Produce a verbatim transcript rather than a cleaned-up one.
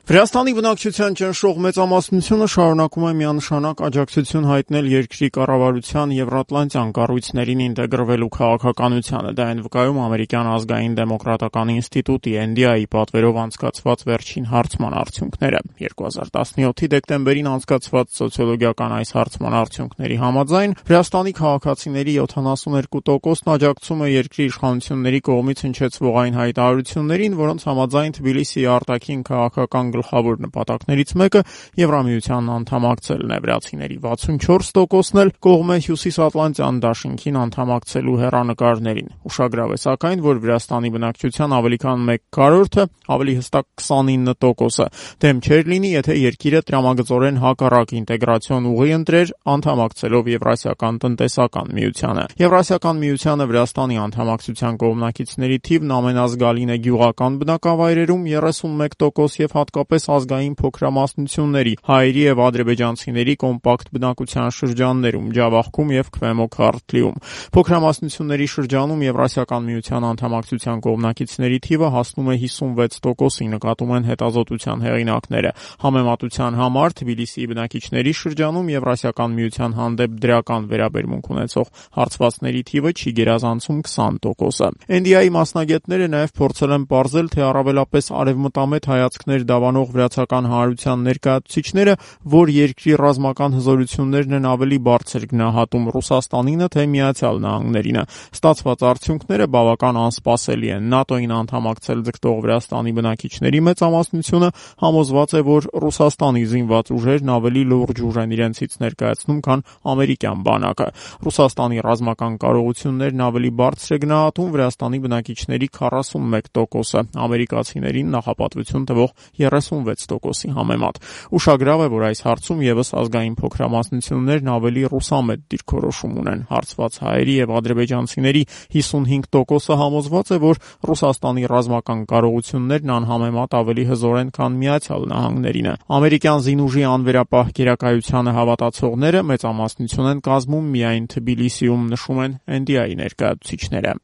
Վրաստանի բնակչության ճնշող մեծամասնությունը շարունակում է միանշանակ աջակցություն հայտնել երկրի կառավարության եվրատլանտյան կառույցներին ինտեգրվելու քաղաքականությանը։ Դա են վկայում ամերիկյան ազգային դեմոկրատական ինստիտուտի Էն Դի Էյ-ի պատվերով անցկացված վերջին հարցման արդյունքները։ երկու հազար տասնյոթի դեկտեմբերին անցկացված սոցիոլոգիական այս հարցման արդյունքների համաձայն Վրաստանի քաղաքացիների յոթանասունյոթ տոկոսն աջակցում է երկրի իշխանությունների կողմից հնչեցվող այն հայտարարություններին, որոնց համաձայն Թբիլիսիի արտաքին քաղաքական գլխավոր նպատակներից մեկը Եվրամիությանն անդամակցելն է։ Վրացիների վաթսունչորս տոկոսն էլ կողմ է Հյուսիսատլանտյան դաշինքին անդամակցելու հեռանկարներին։ Ուշագրավ է սակայն, որ Վրաստանի բնակչության ավելի քան մեկ քառորդը, ավելի հստակ քսանինը տոկոսը, դեմ չէր լինի, եթե երկիրը տրամագծորեն հակառակ ինտեգրացիոն ուղի ընտրեր անդամակցելով Եվրասիական տնտեսական միությանը։ Եվրասիական միությանը Վրաստանի անդամակցության կողմնակիցների թիվն ամենազգալին է գյուղական բնակավայրերում երեսունմեկ տոկոս եւ հատկապես ազգային փոքրամասնությունների, հայերի եւ ադրբեջանցիների կոմպակտ բնակության շրջաններում, Ջավախքում եւ Քվեմո Քարթլիում։ Փոքրամասնությունների շրջանում Եվրասիական միության անդամակցության կողմնակիցների թիվը հասնում է հիսունվեց տոկոսի, նկատում են հետազոտության հեղինակները։ Համեմատության համար Թբիլիսիի բնակիչների շրջանում Եվրասիական միության հանդեպ դրական վերաբերմունք ունեցող հարցվածների թիվը չի գերազանցում քսան տոկոսը։ Էն Դի Էյ-ի մասնագետները նաև փորձել են պարզել, թե առավելապես արևմտամետ հայացքներ դավանող վրացական հանրության ներկայացուցիչները, որ երկրի ռազմական հզորություններն են ավելի բարձր գնահատում Ռուսաստանինը, թե Միացյալ Նահանգներինը։ Ստացված արդյունքները բավական անսպասելի են։ ՆԱՏՕ-ին անդամակցել ձգտող Վրաստանի բնակիչների մեծամասնությունը համոզված է, որ Ռուսաստանի զինված ուժերն ավելի լուրջ ուժ են իրենցից ներկայացնում, քան ամերիկյան բանակը։ Ռուսաստանի ռազմական կարողություններն ավելի բարձր է գնահատում Վրաստանի բնակիչների քառասունմեկ տոկոսը, ամերիկացիներին նախապատվություն տվող երեսունվեց տոկոսի համեմատ։ Ուշագրավ է, որ այս հարցում եւս ազգային փոքրամասնություններն ավելի ռուսամետ դիրքորոշում ունեն։ Հարցված հայերի եւ ադրբեջանցիների հիսունհինգ տոկոսը համոզված է, որ Ռուսաստանի ռազմական կարողություններն անհամեմատ ավելի հզոր են, քան Միացյալ Նահանգներինը։ Ամերիկյան զինուժի անվերապահ գերակայությանը հավատացողները մեծամասնություն են կազմում միայն Թբիլիսիում, նշում են Էն Դի Էյ-ի ներկայացուցիչները։